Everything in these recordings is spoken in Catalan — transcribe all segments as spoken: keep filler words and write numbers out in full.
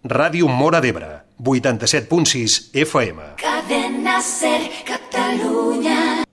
Ràdio Móra d'Ebre, vuitanta-set punt sis F M. Cadena Ser Catalunya.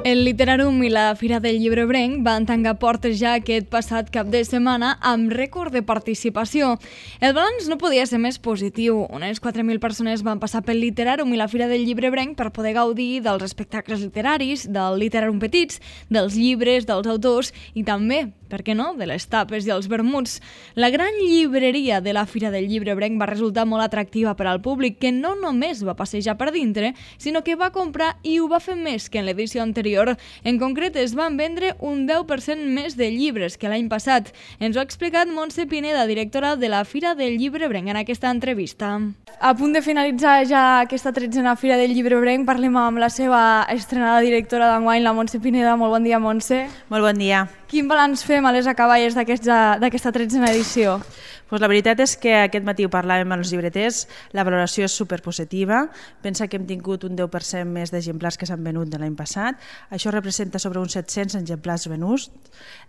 El Literàrum i la Fira del Llibre Ebrenc van tancar portes ja aquest passat cap de setmana amb rècord de participació. El balanç no podia ser més positiu. Unes quatre mil persones van passar pel Literàrum i la Fira del Llibre Ebrenc per poder gaudir dels espectacles literaris, del Literàrum Petits, dels llibres, dels autors i també, per què no?, de les tapes i els vermuts. La gran llibreria de la Fira del Llibre Ebrenc va resultar molt atractiva per al públic, que no només va passejar per dintre, sinó que va comprar i ho va fer més que en l'edició anterior. En concret, es van vendre un deu per cent més de llibres que l'any passat. Ens ho ha explicat Montse Pineda, directora de la Fira del Llibre Ebrenc, en aquesta entrevista. A punt de finalitzar ja aquesta tretzena Fira del Llibre Ebrenc, parlem amb la seva estrenada directora d'enguany, la Montse Pineda. Molt bon dia, Montse. Molt bon dia. Quin balanç fem a les acaballes d'aquesta tretzena edició? Pues la veritat és que aquest matí ho parlàvem amb els llibreters, la valoració és superpositiva. Pensa que hem tingut un deu per cent més d'exemplars que s'han venut de l'any passat. Això representa sobre uns set-cents exemplars venuts,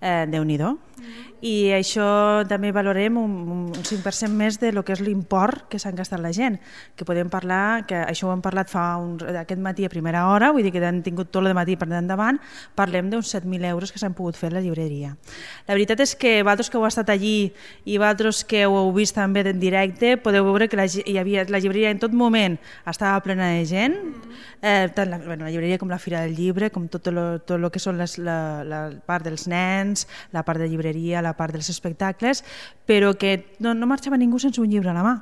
eh, Déu-n'hi-do. Mm-hmm. I això també valorem un, un cinc per cent més de lo que és l'import que s'han gastat la gent, que podem parlar, que això ho hem parlat fa un, aquest matí a primera hora, vull dir que han tingut tot el matí per endavant, parlem d'uns set mil euros que s'han pogut fer a la llibreria. La veritat és que vosaltres que heu estat allí i vosaltres que ho heu vist també en directe, podeu veure que la, hi havia, la llibreria en tot moment estava plena de gent, eh, tant la, bueno, la llibreria com la Fira del Llibre, com tot el tot lo que són les, la, la part dels nens, la part de llibreria, la part dels espectacles, però que no, no marxava ningú sense un llibre a la mà.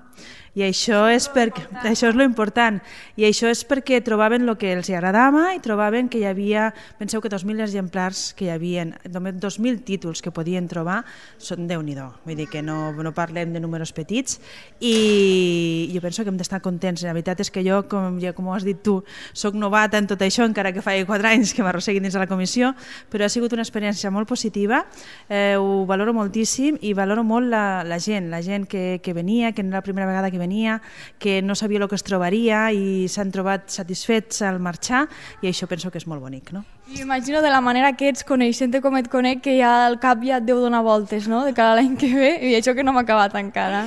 I això és, perquè, això és lo important. I això és perquè trobaven el que els agradava i trobaven que hi havia, penseu que dos mil exemplars que hi havia, només dos mil títols que podien trobar, són Déu-n'hi-do. Vull dir que no, no parlem de números petits i jo penso que hem d'estar contents. La veritat és que jo, com, ja, com ho has dit tu, soc novata en tot això, encara que fa quatre anys que m'arrosseguin dins de la comissió, però ha sigut una experiència molt positiva, eh, ho valoro moltíssim i valoro molt la, la gent, la gent que, que venia, que no era la primera vegada que venia, que no sabia el que es trobaria i s'han trobat satisfets al marxar i això penso que és molt bonic, no? I imagino de la manera que ets, coneixent-te com et conec, que ja al cap ja et deu donar voltes, no?, de cara a l'any que ve, i això que no m'ha acabat encara.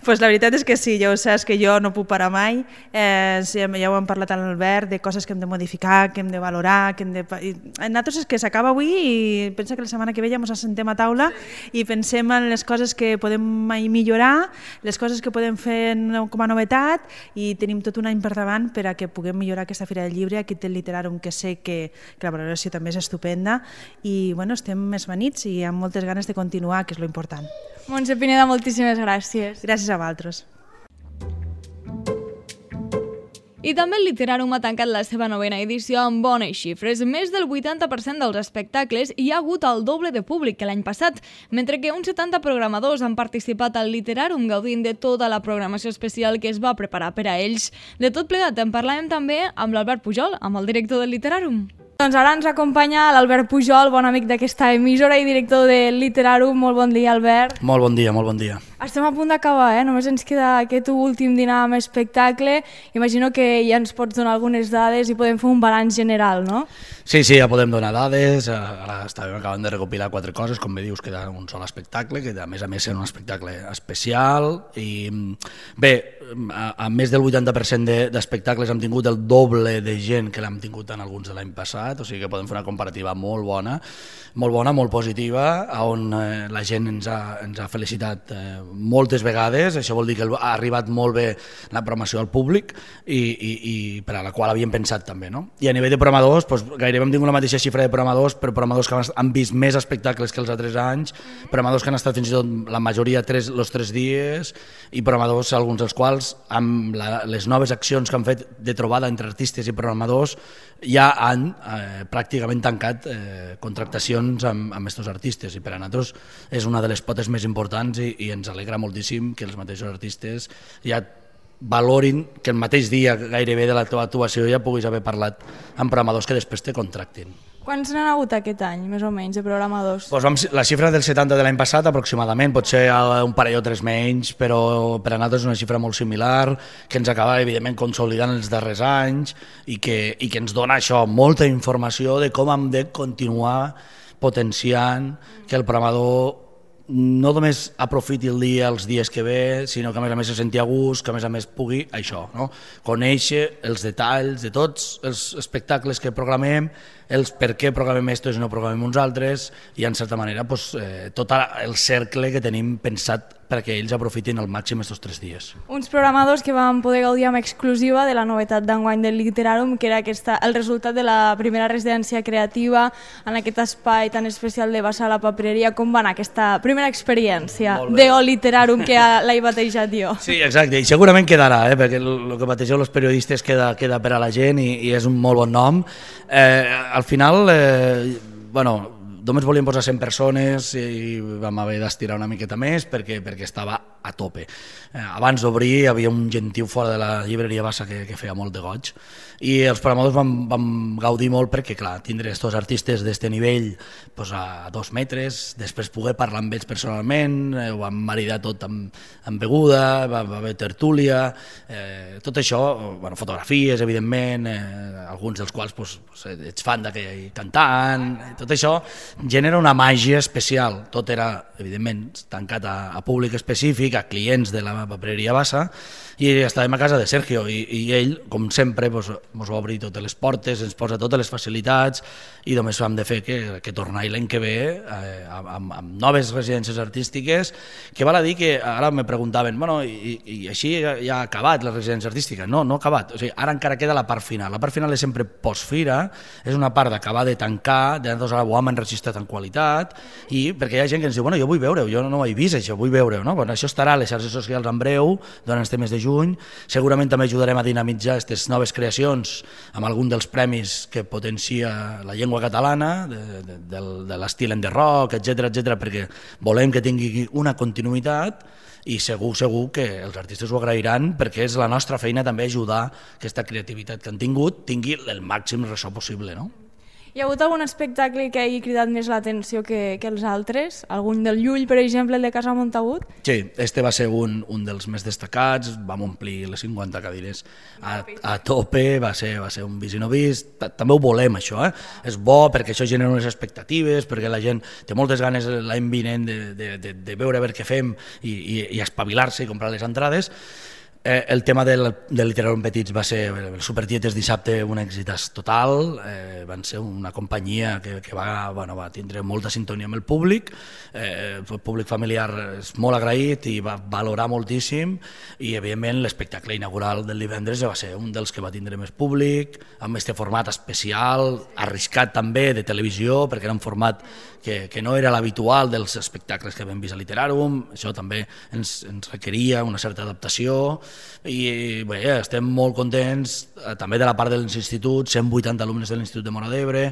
Pues la veritat és que sí, ja ho saps que jo no puc parar mai, eh, ja ho hem parlat amb l'Albert, de coses que hem de modificar, que hem de valorar, que hem de... I nosaltres és que s'acaba avui i pensa que la setmana que ve ja ens assentem a taula i pensem en les coses que podem millorar, les coses que podem fer com a novetat i tenim tot un any per davant per a que puguem millorar aquesta Fira del Llibre. Aquí té el Literàrum, que sé que, que la valoració també és estupenda i bueno, estem més benits i amb moltes ganes de continuar, que és lo important. Montse Pineda, moltíssimes gràcies. Gràcies a vosaltres. I també el Literàrum ha tancat la seva novena edició amb bones xifres. Més del vuitanta per cent dels espectacles hi ha hagut el doble de públic que l'any passat, mentre que uns setanta programadors han participat al Literàrum gaudint de tota la programació especial que es va preparar per a ells. De tot plegat en parlàvem també amb l'Albert Pujol, amb el director del Literàrum. Doncs ara ens acompanya l'Albert Pujol, bon amic d'aquesta emissora i director del Literàrum. Molt bon dia, Albert. Molt bon dia, molt bon dia. Estem a punt d'acabar, eh? Només ens queda aquest últim dinar amb espectacle. Imagino que ja ens pots donar algunes dades i podem fer un balanç general, no? Sí, sí, ja podem donar dades. Ara estàvem acabant de recopilar quatre coses, com bé dius, queda un sol espectacle, que a més a més és un espectacle especial. I bé, a, a més del vuitanta per cent d'espectacles hem tingut el doble de gent que l'hem tingut en alguns de l'any passat, o sigui que podem fer una comparativa molt bona, molt bona, molt positiva, on eh, la gent ens ha, ens ha felicitat eh, moltes vegades. Això vol dir que ha arribat molt bé la programació al públic i, i, i per a la qual havíem pensat també, no? I a nivell de programadors, doncs, gairebé hem tingut la mateixa xifra de programadors, però programadors que han vist més espectacles que els altres anys, programadors que han estat fins i tot la majoria tres, los tres dies, i programadors, alguns dels quals, amb la, les noves accions que han fet de trobada entre artistes i programadors, ja han eh, pràcticament tancat eh, contractacions amb, amb aquests artistes, i per a nosaltres és una de les potes més importants i, i ens alegra moltíssim que els mateixos artistes ja valorin que el mateix dia gairebé de la teva actuació ja puguis haver parlat amb programadors que després te contractin. Quants n'han hagut aquest any, més o menys, de programadors? Pues vam, la xifra del setanta de l'any passat, aproximadament, pot ser un parell o tres menys, però per a nosaltres és una xifra molt similar, que ens acaba, evidentment, consolidant els darrers anys i que, i que ens dona això, molta informació de com hem de continuar potenciant que el programador no només aprofiti el dia els dies que ve, sinó que a més a més se senti a gust, que a més a més pugui això, no? Conèixer els detalls de tots els espectacles que programem, els per què programem estos i no programem uns altres, i en certa manera pues, eh, tot el cercle que tenim pensat perquè ells aprofitin al màxim aquests tres dies. Uns programadors que van poder gaudir amb exclusiva de la novetat d'enguany del Literarum, que era aquesta, el resultat de la primera residència creativa en aquest espai tan especial de Bassa a la Papereria. Com va anar aquesta primera experiència d'O Literarum que l'he batejat jo? Sí, exacte, i segurament quedarà, eh, perquè el que bategeu els periodistes queda, queda per a la gent i, i és un molt bon nom. Eh, al final, eh, bueno, només volíem posar cent persones i vam haver d'estirar una miqueta més perquè, perquè estava a tope. Eh, abans d'obrir hi havia un gentiu fora de la llibreria Bassa que, que feia molt de goig i els programadors vam, vam gaudir molt perquè, clar, tindre aquests artistes d'aquest nivell pues, a dos metres, després poder parlar amb ells personalment, eh, ho vam maridar tot amb, amb beguda, va, va haver tertúlia, eh, tot això, bueno, fotografies, evidentment, eh, alguns dels quals pues, pues, ets fan d'aquell cantant, tot això genera una màgia especial. Tot era, evidentment, tancat a, a públic específic, a clients de la papereria Bassa, i estàvem a casa de Sergio, i, i ell, com sempre, ens pues, va obrir totes les portes, ens posa totes les facilitats, i només hem de fer que, que tornar l'any que ve eh, amb, amb noves residències artístiques, que val a dir que ara me preguntaven, bueno, i, i així ja, ja ha acabat la residència artística? No, no ha acabat, o sigui, ara encara queda la part final. La part final és sempre postfira, és una part d'acabar de tancar, de nosaltres ara ho hem enregistrat en qualitat, i perquè hi ha gent que ens diu, bueno, jo vull veure-ho, jo no ho he vist això, vull veure-ho, no? Bueno, això estarà a les xarxes socials en breu, durant este mes de juny, segurament també ajudarem a dinamitzar aquestes noves creacions amb algun dels premis que potencia la llengua catalana, de, de, de, de l'estil en the rock, etcètera, etcètera, perquè volem que tingui una continuïtat i segur, segur que els artistes ho agrairan perquè és la nostra feina també ajudar que aquesta creativitat que han tingut tingui el màxim ressò possible, no? Hi ha hagut algun espectacle que hagi cridat més l'atenció que, que els altres? Algun del Llull, per exemple, el de Casa Montagut? Sí, este va ser un, un dels més destacats, vam omplir les cinquanta cadires a, a tope, va ser, va ser un vist i no vist, també ho volem això, eh? És bo perquè això genera unes expectatives, perquè la gent té moltes ganes l'any vinent de, de, de, de veure a veure què fem i, i, i espavilar-se i comprar les entrades. Eh, el tema del, del Literarum Petits va ser el Supertietes dissabte un èxit total, eh, van ser una companyia que, que va, bueno, va tindre molta sintonia amb el públic, eh, el públic familiar és molt agraït i va valorar moltíssim i evidentment l'espectacle inaugural del divendres va ser un dels que va tindre més públic, amb aquest format especial, arriscat també de televisió perquè era un format que, que no era l'habitual dels espectacles que vam vist a Literarum, això també ens, ens requeria una certa adaptació i bé, estem molt contents eh, també de la part dels instituts, cent vuitanta alumnes de l'Institut de Móra d'Ebre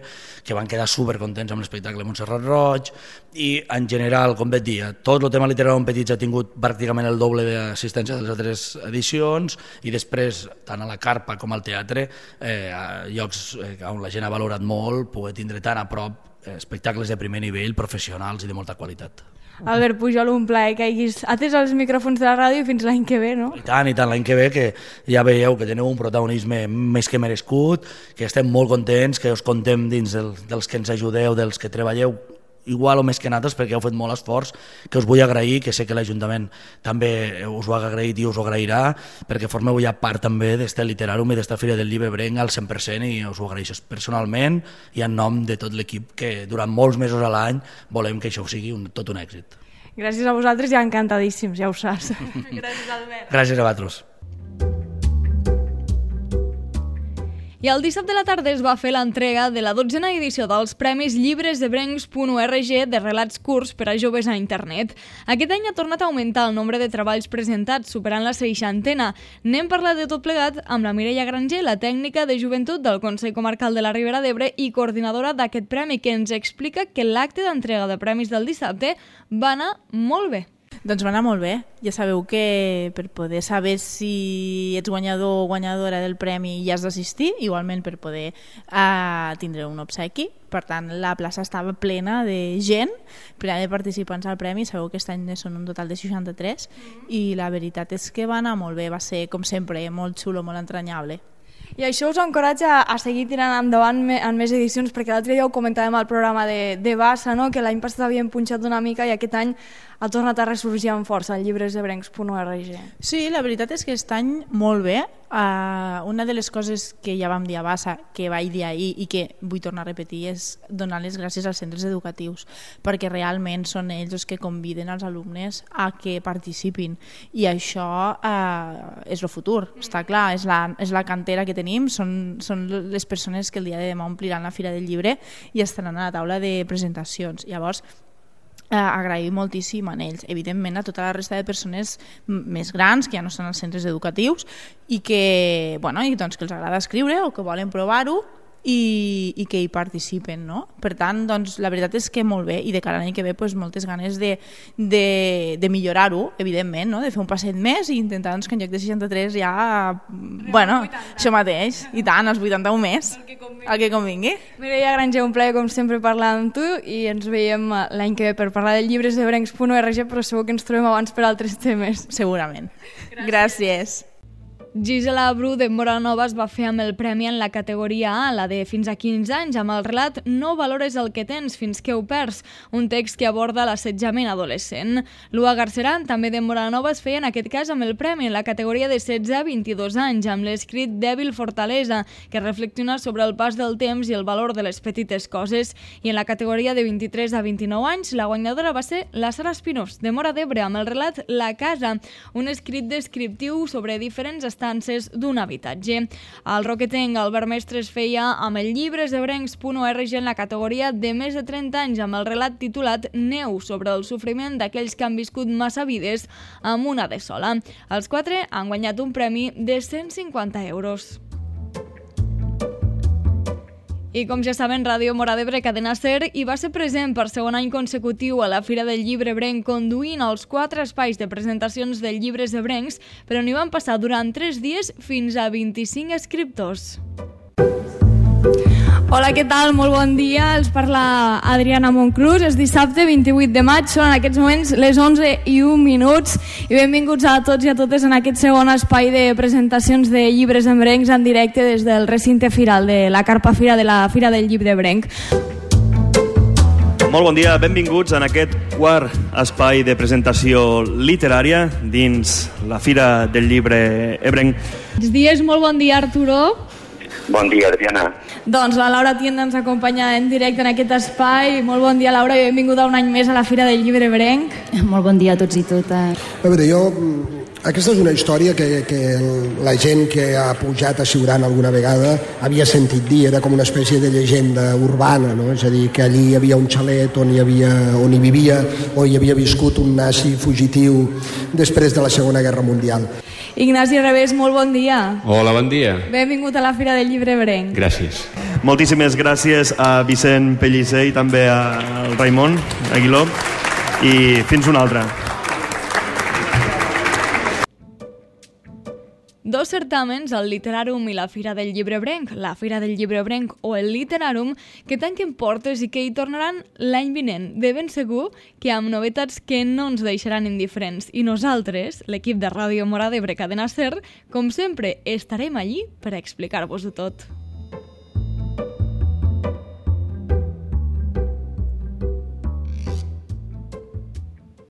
que van quedar supercontents amb l'espectacle Montserrat Roig i en general, com vaig dir, tot el tema Literarum Petits ha tingut pràcticament el doble d'assistència de les altres edicions i després, tant a la carpa com al teatre, eh, a llocs eh, on la gent ha valorat molt, poder tindre tan a prop espectacles de primer nivell, professionals i de molta qualitat. Albert Pujol, un plaer que hagis atès els micròfons de la ràdio fins l'any que ve, no? I tant, i tant, l'any que ve, que ja veieu que teniu un protagonisme més que merescut, que estem molt contents, que us contem dins del, dels que ens ajudeu, dels que treballeu igual o més que nosaltres perquè heu fet molt esforç, que us vull agrair, que sé que l'Ajuntament també us ho ha agraït i us ho agrairà, perquè formeu ja part també d'este Literarum i d'esta Fira del Llibre Brenc al cent per cent i us ho agraeixo personalment i en nom de tot l'equip que durant molts mesos a l'any volem que això sigui un, tot un èxit. Gràcies a vosaltres i encantadíssims, ja ho saps. Gràcies, Albert. Gràcies a vosaltres. I el dissabte a la tarda es va fer l'entrega de la dotzena edició dels Premis Llibres de Brencs punt org de relats curts per a joves a internet. Aquest any ha tornat a augmentar el nombre de treballs presentats, superant la seixantena. N'hem parlat de tot plegat amb la Mireia Granger, la tècnica de joventut del Consell Comarcal de la Ribera d'Ebre i coordinadora d'aquest premi, que ens explica que l'acte d'entrega de premis del dissabte va anar molt bé. Doncs va anar molt bé. Ja sabeu que per poder saber si ets guanyador o guanyadora del premi hi has d'assistir, igualment per poder uh, tindre un obsequi. Per tant, la plaça estava plena de gent, plena de participants al premi. Sabeu que aquest any són un total de seixanta-tres i la veritat és que va anar molt bé, va ser, com sempre, molt xulo, molt entranyable. I això us encoratja a seguir tirant endavant en més edicions, perquè l'altre dia ho comentàvem al programa de, de Bassa, no? Que l'any passat havien punxat una mica i aquest any ha tornat a ressorgir amb força al llibresebrencs punt org. Sí, la veritat és que aquest any molt bé. Uh, una de les coses que ja vam dir a Bassa, que vaig dir ahir i que vull tornar a repetir, és donar les gràcies als centres educatius, perquè realment són ells els que conviden els alumnes a que participin, i això uh, és el futur, està clar, és la, és la cantera que tenim, són, són les persones que el dia de demà ompliran la Fira del Llibre i estaran a la taula de presentacions. Llavors, Eh, agrair moltíssim a ells, evidentment a tota la resta de persones més grans que ja no són als centres educatius i que, bueno, i doncs que els agrada escriure o que volen provar-ho i, i que hi participen, no? Per tant, doncs, la veritat és que molt bé, i de cara a l'any que ve doncs, moltes ganes de, de, de millorar-ho, evidentment, no? De fer un passet més i intentar doncs, que en lloc de seixanta-tres ja, bueno, això mateix, i tant, els vuitanta-un més, el que convingui. Mireia Granger, un plaer com sempre parlar amb tu i ens veiem l'any que ve per parlar del llibresebrencs punt org, però segur que ens trobem abans per altres temes. Segurament. Gràcies. Gràcies. Gisela Bru de Moranova es va fer amb el premi en la categoria A, la de fins a quinze anys, amb el relat No valores el que tens fins que ho perds, un text que aborda l'assetjament adolescent. Lua Garceran, també de Moranova, es feia en aquest cas amb el premi en la categoria de setze a vint-i-dos anys, amb l'escrit Dèbil fortalesa, que reflexiona sobre el pas del temps i el valor de les petites coses. I en la categoria de vint-i-tres a vint-i-nou anys, la guanyadora va ser la Sara Espinós, de Móra d'Ebre, amb el relat La casa, un escrit descriptiu sobre diferents estances d'un habitatge. El roquetenc Albert Mestre es feia amb el llibresebrencs punt org en la categoria de més de trenta anys, amb el relat titulat Neu, sobre el sofriment d'aquells que han viscut massa vides amb una de sola. Els quatre han guanyat un premi de cent cinquanta euros. I com ja saben, Ràdio Móra d'Ebre, Cadena SER, hi va ser present per segon any consecutiu a la Fira del Llibrebrenc, conduint els quatre espais de presentacions del llibresebrencs, però n'hi van passar durant tres dies fins a vint-i-cinc escriptors. Hola, què tal? Molt bon dia. Els parla Adriana Monclús. És dissabte vint-i-vuit de maig, són en aquests moments les onze i un minuts i benvinguts a tots i a totes en aquest segon espai de presentacions de llibresebrencs en directe des del recinte firal de la Carpa Fira de la Fira del Llibrebrenc. Molt bon dia, benvinguts en aquest quart espai de presentació literària dins la Fira del Llibre Ebrenc. Bons dies, molt bon dia, Arturo. Bon dia, Adriana. Doncs la Laura Tienda ens acompanya en directe en aquest espai. Molt bon dia, Laura, i benvinguda un any més a la Fira del Llibrebrenc. Molt bon dia a tots i totes. A veure, jo... Aquesta és una història que, que la gent que ha pujat a Siurana alguna vegada havia sentit dir, era com una espècie de llegenda urbana, no? És a dir, que allí hi havia un xalet on hi, havia, on hi vivia o hi havia viscut un nazi fugitiu després de la Segona Guerra Mundial. Ignasi Revés, molt bon dia. Hola, bon dia. Benvingut a la Fira del Llibrebrenc. Gràcies. Moltíssimes gràcies a Vicent Pellicer i també al Raimon Aguiló i fins una altra. Dos certàmens, el Literàrum i la Fira del Llibrebrenc, la Fira del Llibrebrenc o el Literàrum, que tanquen portes i que hi tornaran l'any vinent, de ben segur que amb novetats que no ens deixaran indiferents. I nosaltres, l'equip de Ràdio Móra d'Ebre, Cadena SER, com sempre, estarem allí per explicar-vos-ho tot.